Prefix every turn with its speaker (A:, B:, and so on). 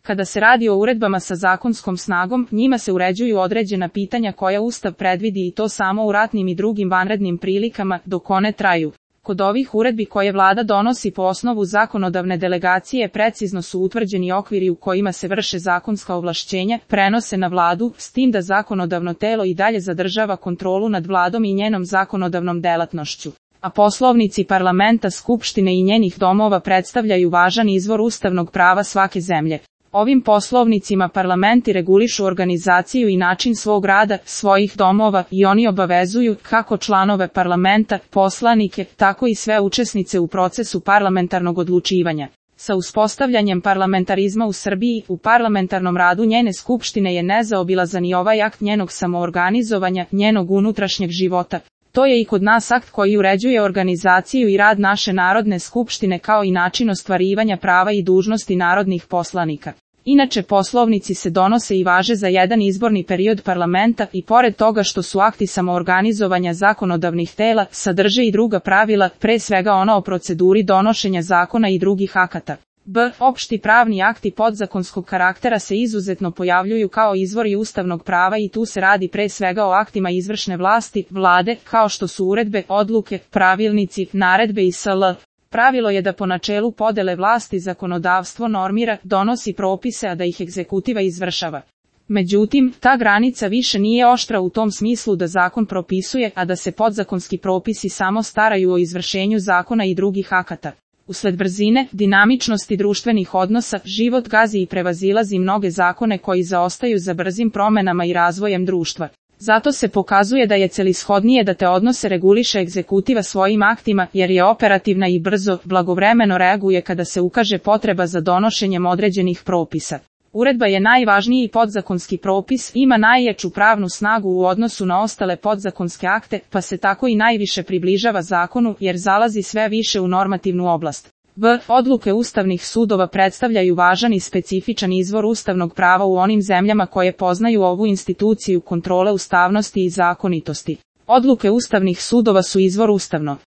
A: Kada se radi o uredbama sa zakonskom snagom, njima se uređuju određena pitanja koja Ustav predvidi i to samo u ratnim i drugim vanrednim prilikama, dok one traju. Kod ovih uredbi koje vlada donosi po osnovu zakonodavne delegacije precizno su utvrđeni okviri u kojima se vrše zakonska ovlašćenja, prenose na vladu, s tim da zakonodavno telo i dalje zadržava kontrolu nad vladom i njenom zakonodavnom delatnošću. A poslovnici parlamenta, skupštine i njenih domova predstavljaju važan izvor ustavnog prava svake zemlje. Ovim poslovnicima parlamenti regulišu organizaciju i način svog rada, svojih domova i oni obavezuju kako članove parlamenta, poslanike, tako i sve učesnice u procesu parlamentarnog odlučivanja. Sa uspostavljanjem parlamentarizma u Srbiji, u parlamentarnom radu njene skupštine je nezaobilazan i ovaj akt njenog samoorganizovanja, njenog unutrašnjeg života. To je i kod nas akt koji uređuje organizaciju i rad naše Narodne skupštine kao i način ostvarivanja prava i dužnosti narodnih poslanika. Inače poslovnici se donose i važe za jedan izborni period parlamenta i pored toga što su akti samoorganizovanja zakonodavnih tela, sadrže i druga pravila, pre svega ona o proceduri donošenja zakona i drugih akata. Opšti pravni akti podzakonskog karaktera se izuzetno pojavljuju kao izvori ustavnog prava i tu se radi pre svega o aktima izvršne vlasti, vlade, kao što su uredbe, odluke, pravilnici, naredbe i sl. Pravilo je da po načelu podele vlasti zakonodavstvo normira, donosi propise, a da ih egzekutiva izvršava. Međutim, ta granica više nije oštra u tom smislu da zakon propisuje, a da se podzakonski propisi samo staraju o izvršenju zakona i drugih akata. Usled brzine, dinamičnosti društvenih odnosa, život gazi i prevazilazi mnoge zakone koji zaostaju za brzim promenama i razvojem društva. Zato se pokazuje da je celishodnije da te odnose reguliše egzekutiva svojim aktima, jer je operativna i brzo, blagovremeno reaguje kada se ukaže potreba za donošenjem određenih propisa. Uredba je najvažniji podzakonski propis, ima najjaču pravnu snagu u odnosu na ostale podzakonske akte, pa se tako i najviše približava zakonu, jer zalazi sve više u normativnu oblast. Odluke ustavnih sudova predstavljaju važan i specifičan izvor ustavnog prava u onim zemljama koje poznaju ovu instituciju kontrole ustavnosti i zakonitosti. Odluke ustavnih sudova su izvor ustavno